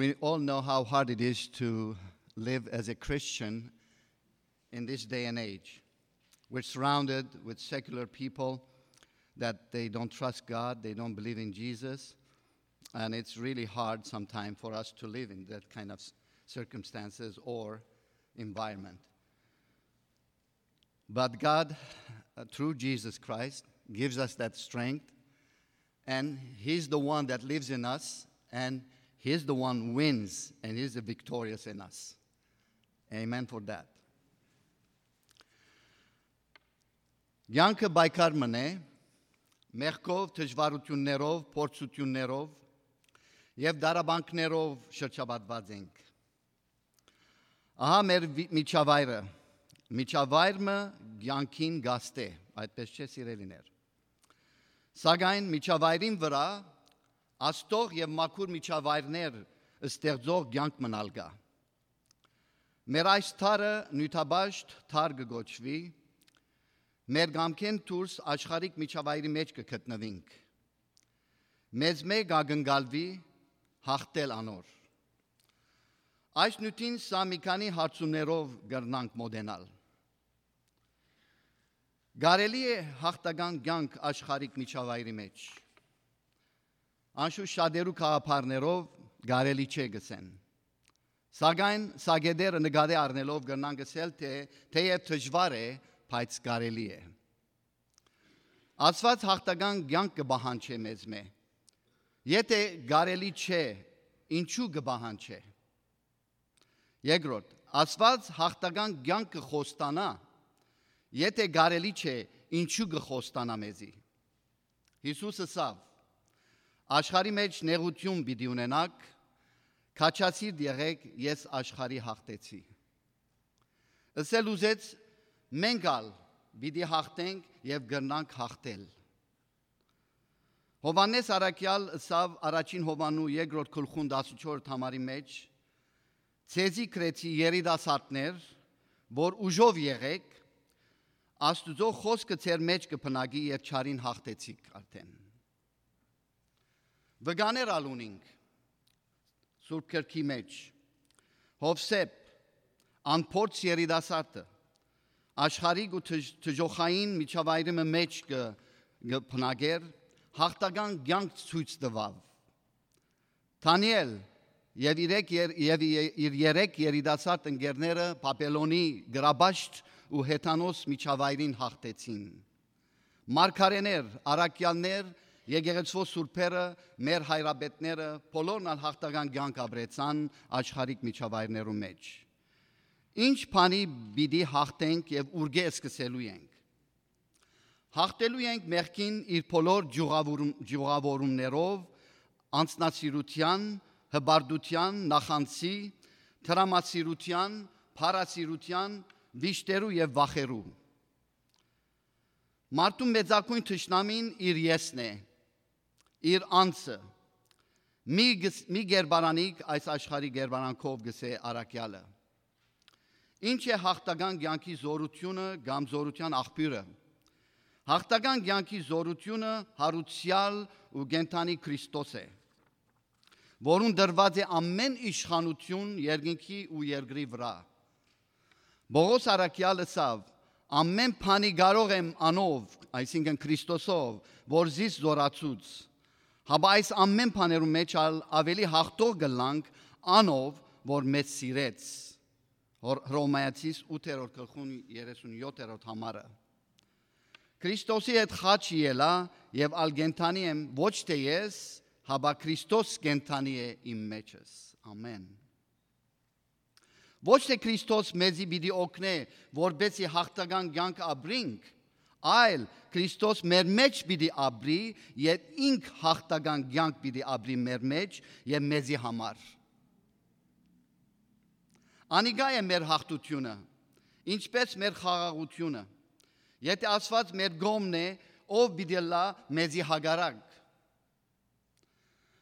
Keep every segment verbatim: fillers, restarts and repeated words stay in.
We all know how hard it is to live as a Christian in this day and age. We're surrounded with secular people that they don't trust God, they don't believe in Jesus, and it's really hard sometimes for us to live in that kind of s-, circumstances or environment. But God, uh, through Jesus Christ, gives us that strength, and He's the one that lives in us, and He's the one wins, and He's the victorious in us. Amen for that. Կեանքը պայքար մըն է, մեղքով, դժուարութիւններով, փորձութիւններով եւ դարաբանքներով շրջապատուած ենք։ Ահա մեր վի-, միջավայրը։ Միջավայր մը կեանքին գաստ է, այդպես չէ, սիրելիներ։ Սակայն միջավայրին վրայ աստող եւ մաքուր միջավայրներ ստեղծող կեանք մնալ կայ։ Մեր այս դարը նիւթապաշտ դար կը կոչուի, մեր կամքէն դուրս աշխարհիկ միջավայրի մէջ կը գտնուինք։ Մեզմէ կ'ակնկալուի յաղթել անոր։ Այս նիւթին սա մի քանի հարցումներով կրնանք մօտենալ։ Կարելի՞ է յաղթական կեանք աշխարհիկ միջավայրի մէջ։ Անշուշտ շատերու գաղափարներով կարելի չէ գսեն։ Սակայն սա գետերը նկատի առնելով կրնանք ըսել, թէ թէեւ դժուար է, բայց կարելի է։ Աստուած յաղթական կեանք կը պահանջէ մեզմէ։ Եթէ կարելի չէ, ինչու՞ կը պահանջէ։ Երկրորդ, Աստուած յաղթական կեանքը խոստանայ, եթէ կարելի չէ, ինչու՞ կը խոստանայ մեզի։ Յիսուս ըսաւ. «Աշխարհի մէջ նեղութիւն պիտի ունենաք, քաջասիրտ եղէք, ես աշխարհի յաղթեցի»։ Ըսել ուզեց. «Մենք ալ պիտի յաղթենք եւ կրնանք յաղթել»։ Յովհաննէս առաքեալ ըսաւ առաջին Յովհաննու երկրորդ գլխուն տասնչորս համարի մէջ. «Ձեզի գրեցի, երիտասարդներ, որ ուժով եղէք, Աստուծոյ խօսքը ձեր մէջ կը բնակի եւ չարին յաղթեցիք արդէն»։ Վկաներ ալ ունինք Սուրբ Գրքի մէջ։ Յովսէփ, անփորձ երիտասարդը, աշխարհիկ ու դժ-, դժոխային միջավայրի մը մէջ կը, կը բնակէր, յաղթական կեանք ցոյց տուաւ։ Դանիէլ եւ իրեք եր-, եւ ե-, իր երեք երիտասարդ ընկերները Բաբելոնի գրաբաշտ ու հեթանոս միջավայրին յաղթեցին։ Մարգարէներ, առաքեալներ, եկեղեցւոյ սուրբերը, մեր հայրապետները, բոլորն ալ յաղթական կեանք ապրեցան աշխարհիկ միջավայրներու մէջ։ Ինչ բանի պիտի յաղթենք եւ ուրկէ սկսելու ենք։ Յաղթելու ենք մեղքին իր բոլոր ճյուղավորում-, ճյուղավորումներով, անձնասիրութեան, հպարտութեան, նախանձի, տրամասիրութեան, փառասիրութեան, վիշտերու եւ վախերու։ Մարդուն մեծագոյն թշնամին իր եսն է, իր անձը։ «Մի գս-, մի կերպարանիք այս աշխարհի կերպարանքով», գսէ առաքեալը։ Ինչ է յաղթական կեանքի զօրութիւնը կամ զօրութեան աղբիւրը։ Յաղթական կեանքի զօրութիւնը հարուցեալ ու կենդանի Քրիստոս է, որուն տրուած է ամէն իշխանութիւն երկնքի ու երկրի վրայ։ Պողոս առաքեալ ըսաւ. «Ամէն բանի կարող եմ անով», այսինքն Քրիստոսով, «որ զիս զօրացուց»։ Հապա այս ամէն բաներու մէջ ալ աւելի յաղթող կ'ըլլանք անով, որ մեզ սիրեց։ Հոր-, Հռոմայացիս ութերորդ գլխուն երեսունյոթերորդ համարը։ Քրիստոսի հետ խաչը ելայ եւ ալ կենդանի եմ, ոչ թէ ես, հապա Քրիստոս կենդանի է իմ մեջս։ Ամէն։ Ոչ թէ Քրիստոս մեզի պիտի օգնէ, որպեսզի յաղթական կեանք ապրինք, այլ Քրիստոս մեր մէջ պիտի ապրի եւ ինք յաղթական կեանք պիտի ապրի մեր մէջ եւ մեզի համար։ Անիկա է մեր յաղթութիւնը, ինչպես մեր խաղաղութիւնը։ Եթէ Աստուած մեր կողմն է, ո՞վ պիտի ըլլայ մեզի հակառակ։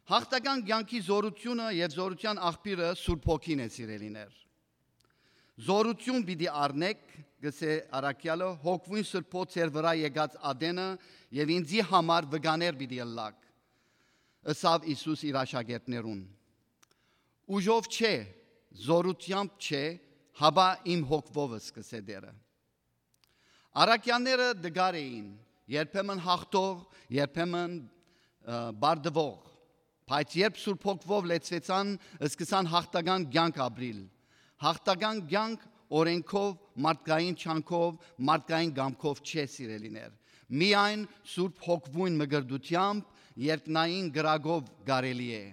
Յաղթական կեանքի զօրութիւնը եւ զօրութեան աղբիւրը Սուրբ Հոգին է, սիրելիներ։ «Զօրութիւն պիտի առնէք», գսէ առաքեալը, «հոգւոյն Սուրբոյ ձեր վրայ եկած ատենը եւ ինծի համար վկաներ պիտի ըլլաք», ըսաւ Յիսուս իր աշակերտներուն։ Ուժով չէ, զօրութեամբ չէ, հապա իմ հոգովս, կ'ըսէ Տէրը։ Առաքեալները տկար էին, երբեմն հաղթող, երբեմն, ը, պարտուող, բայց երբ Սուրբ Հոգովով լեցուեցան, սկսան հաղթական կեանք ապրիլ։ Հաղթական կեանք օրէնքով, մարդկային կեանքով, մարդկային կամքով չէ, սիրելիներ։ Միայն Սուրբ Հոգովուն մկրտութեամբ, երկնային կրակով կարելի է։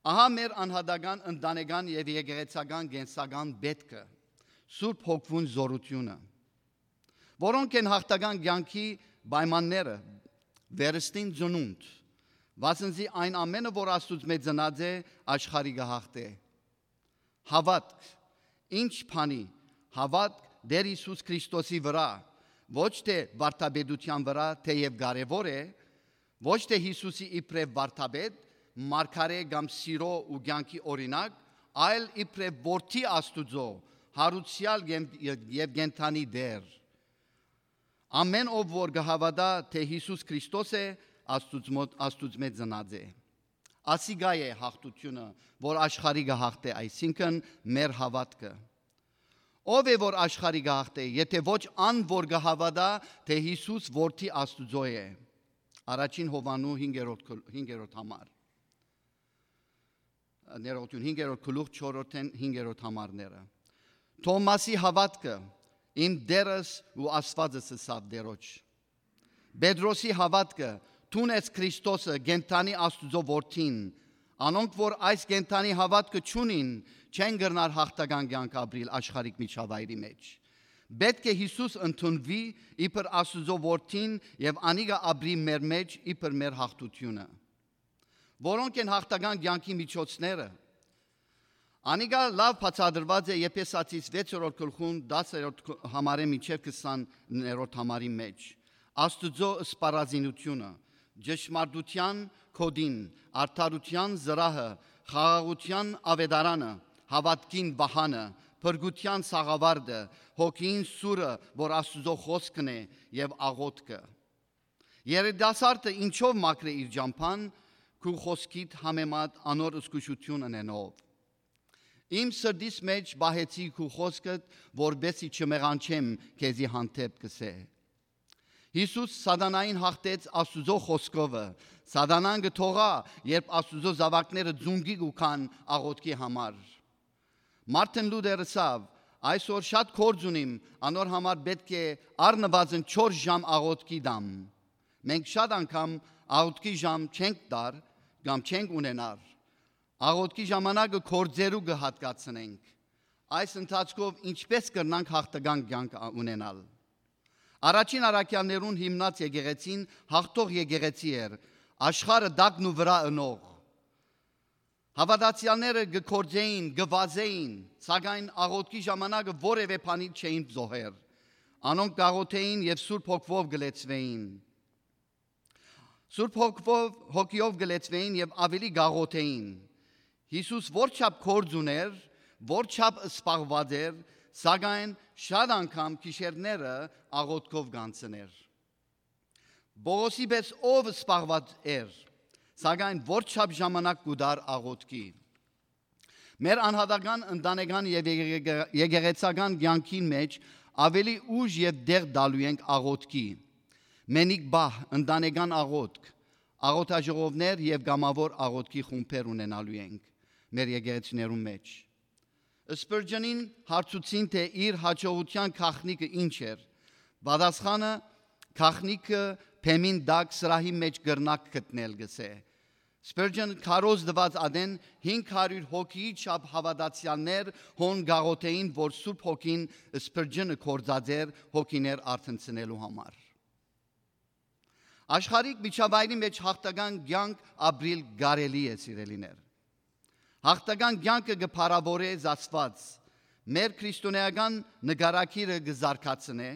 Ահա մեր անհատական, ընտանեկան եւ եկեղեցական կենսական պէտքը, Սուրբ Հոգովուն զօրութիւնը, որոնք են հաղթական կեանքի պայմանները, վերստին ծնունդ, վասն զի այն ամէնը, որ Աստուծմէ ծնած է, աշխարհի կը հաղթէ։ Հաւատք, ինչ բանի, հաւատք Տէր Յիսուս Քրիստոսի վրայ, ոչ թէ վարդապետութեան վրայ, թէեւ կարեւոր է, ոչ թէ Յիսուսի իբրեւ վարդապետ, մարգարէ կամ սիրո ու կեանքի օրինակ, այլ իբրեւ որդի Աստուծոյ, յարուցեալ եւ, եւ կենդանի Տէր։ Ամէն ով որ կը հաւատայ թէ Յիսուս Քրիստոս է, Աստուծմոտ, Աստուծմէ ծնած է։ Ասիկա է հաղթութիւնը, որ աշխարհի կը հաղթէ, այսինքն՝ մեր հաւատքը։ Ո՞վ է, որ աշխարհի կը հաղթէ, եթէ ոչ ան, որ կը հաւատայ թէ Յիսուս որդի Աստուծոյ է։ Առաջին Յովհաննու հինգերորդ գլ-, հինգերորդ համար։ Ներողություն, հինգերորդ գլուխ, չորրորդէն հինգերորդ համարները։ Թովմասի հաւատքը, «Իմ Տէրս ու Աստուածս», ըսաւ Տէրոջ։ Պետրոսի հաւատքը, «Դուն ես Քրիստոսը, կենդանի Աստուծոյ Որդին»։ Անոնք, որ այս կենդանի հաւատքը չունին, չեն կրնար հաղթական կեանք ապրիլ աշխարհիկ միջավայրի մեջ։ Պէտք է Յիսուս ընդունուի իբր Աստուծոյ Որդին եւ անիկա ապրի մեր մեջ իբր մեր հաղթութիւնը։ Որո՞նք են հաղթական կեանքի միջոցները։ Անիկա լաւ բացատրուած է Եփեսացիս վեցերորդ գլխուն, տասներորդ համարէ մինչեւ քսաներորդ համարի մեջ։ Աստուծոյ սպառազինութիւնը, ճշմարտութեան գօտին, արդարութեան զրահը, խաղաղութեան աւետարանը, հաւատքին վահանը, փրկութեան սաղաւարտը, հոգիին սուրը, որ Աստուծոյ խօսքն է, եւ աղօթքը։ Երիտասարդը ինչո՞վ մաքրէ իր ճամբան, քու խօսքիդ համեմատ անոր զգուշութիւն ընելով։ «Իմ սրտիս մեջ պահեցի քու խօսքդ, որպեսզի չմեղանչեմ քեզի հանդէպ», կ'ըսէ։ Յիսուս սատանային հաղթեց Աստուծոյ խօսքովը։ Սատանան կը թողայ, երբ Աստուծոյ զաւակները ծունկի կու գան աղօթքի համար։ Մարտին Լուտեր ըսաւ. «Այսօր շատ գործ ունիմ, անոր համար պէտք է առնուազն չորս ժամ աղօթքի տամ»։ Մենք շատ անգամ աղօթքի ժամ չենք տար կամ չենք ունենար։ Աղօթքի ժամանակը գործերու կը հատկացնենք։ Այս ընթացքով ինչպե՞ս կրնանք հաղթական կեանք ա-, ունենալ։ Առաջին առաքեալներուն հիմնած եկեղեցին հաղթող եկեղեցի էր, աշխարհը տակն ու վրայ ընող։ Հաւատացեալները կը գործէին, կը վազէին, սակայն աղօթքի ժամանակը որեւէ բանի չէին զոհեր։ Անոնք կ'աղօթէին եւ Սուրբ Հոգովով կը լեցուէին։ Սուրբ Հոգովով, հոգիով կը լեցուէին եւ աւելի կ'աղօթէին։ Յիսուս որչափ գործ ունէր, որչափ սպառված էր, սակայն շատ անգամ գիշերները աղօթքով կ'անցնէր։ Պողոսի պէս ով սպառված էր, սակայն որչափ ժամանակ կու տար աղօթքի։ Մեր անհատական, ընտանեկան եւ եկեղ-, եկեղեցական կեանքին մեջ աւելի ուժ եւ տեղ տալու ենք աղօթքի։ Մենիկ պահ, ընտանեկան աղօթք, աղօթաժողովներ եւ կամաւոր աղօթքի խումբեր ունենալու ենք մեր եկեղեցիներուն մեջ։ Սպըրճընին հարցուցին, թէ իր յաջողութեան գաղտնիքը ինչ էր։ Պատասխանը. «Գաղտնիքը բեմին տակ սրահի մեջ կրնաք գտնել», կ'ըսէ։ Սպըրճըն քարոզ տուած ատեն հինգ հարիւր հոգիի չափ հաւատացեալներ հոն կ'աղօթէին, որ Սուրբ Հոգին Սպըրճընը գործած էր հոգիներ արթնցնելու համար։ Աշխարհիկ միջավայրի մեջ հաղթական կեանք ապրիլ կարելի է, սիրելիներ։ Հաղթական կեանքը կը փառաւորէ Աստուած, մեր քրիստոնէական նկարագիրը կը զարգացնէ,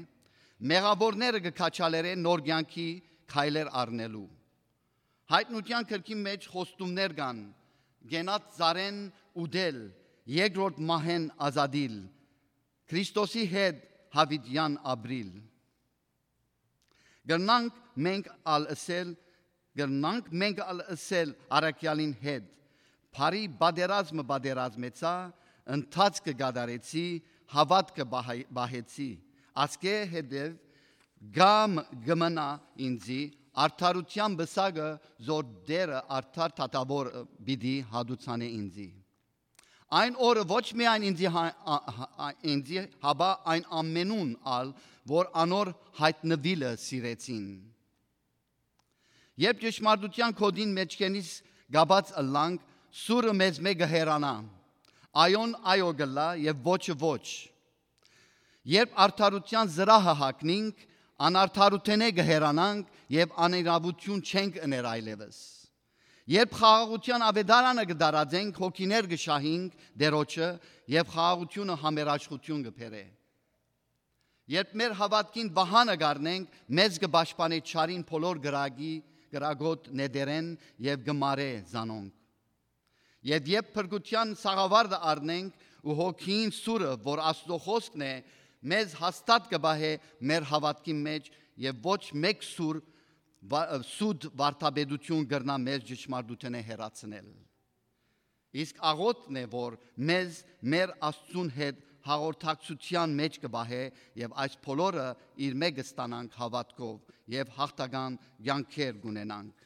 մեղաւորները կը քաջալերէ նոր կեանքի քայլեր առնելու։ Յայտնութեան գրքին մեջ խոստումներ կան. «Կենաց ծառեն ուտել, երկրորդ մահեն ազատիլ, Քրիստոսի հետ յաւիտեան ապրիլ»։ Կրնանք մենք ալ ըսել, կրնանք մենք ալ ըսել առաքեալին հետ. Բարի պատերազմը պատերազմեցայ, ընթացքը կատարեցի, հաւատքը պահ-, պահեցի։ Ասկէ հետեւ կամ կը մնայ ինծի, արդարութեան պսակը, զոր Տէրը արդար թագաւոր պիտի հատուցանէ ինծի։ Այն օրը ոչ միայն ինծի հա-, ա-, ա-, ա-, ինծի, հապա այն ամենուն ալ, որ անոր յայտնուիլը սիրեցին։ Երբ ճշմարտութեան գօտին մէջքենիս կապած ըլլանք, սուրը մեզմէ կը հեռանայ։ Այոն այո կ'ըլլայ եւ ոչը ոչ։ Երբ արդարութեան զրահը հագնինք, անարդարութենէ կը հեռանանք եւ անիրաւութիւն չենք ըներ այլեւս։ Երբ խաղաղութեան աւետարանը կը տարածենք, հոգիներ կը շահինք Տէրոջը եւ խաղաղութիւնը համերաշխութիւն կը բերէ։ Երբ մեր հաւատքին վահանը կ'առնենք, մեզ կը պաշտպանէ չարին բոլոր կրակի, կրակոտ նետերէն եւ կը մարէ զանոնք։ Եւ երբ փրկութեան սաղավարտը առնենք ու հոգիին սուրը, որ Աստուծոյ խօսքն է, մեզ հաստատ կը պահէ մեր հաւատքին մէջ եւ ոչ մէկ սուր վա-, սուտ վարդապետութիւն կրնայ մեզ ճշմարտութենէ հեռացնել։ Իսկ աղօթքն է, որ մեզ մեր Աստծուն հետ հաղորդակցութեան մէջ կը պահէ եւ այս բոլորը իրմէ կը ստանանք հաւատքով եւ յաղթական կեանքեր կ'ունենանք։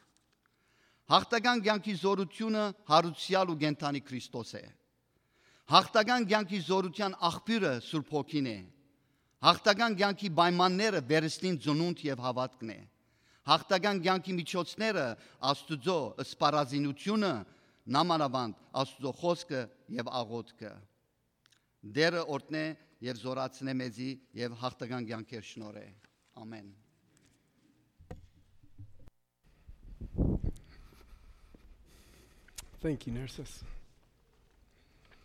Յաղթական կեանքի զօրութիւնը հարուցեալ ու կենդանի Քրիստոս է։ Յաղթական կեանքի զօրութեան աղբիւրը Սուրբ Հոգին է։ Յաղթական կեանքի պայմանները վերստին ծնունդ եւ հաւատքն է։ Յաղթական կեանքի միջոցները Աստուծոյ սպառազինութիւնը, նամանաւանդ Աստուծոյ խօսքը եւ աղօթքը։ Տէրը օրհնէ եւ զօրացնէ մեզի եւ յաղթական կեանքեր շնորհէ։ Ամեն։ Thank you, nurses.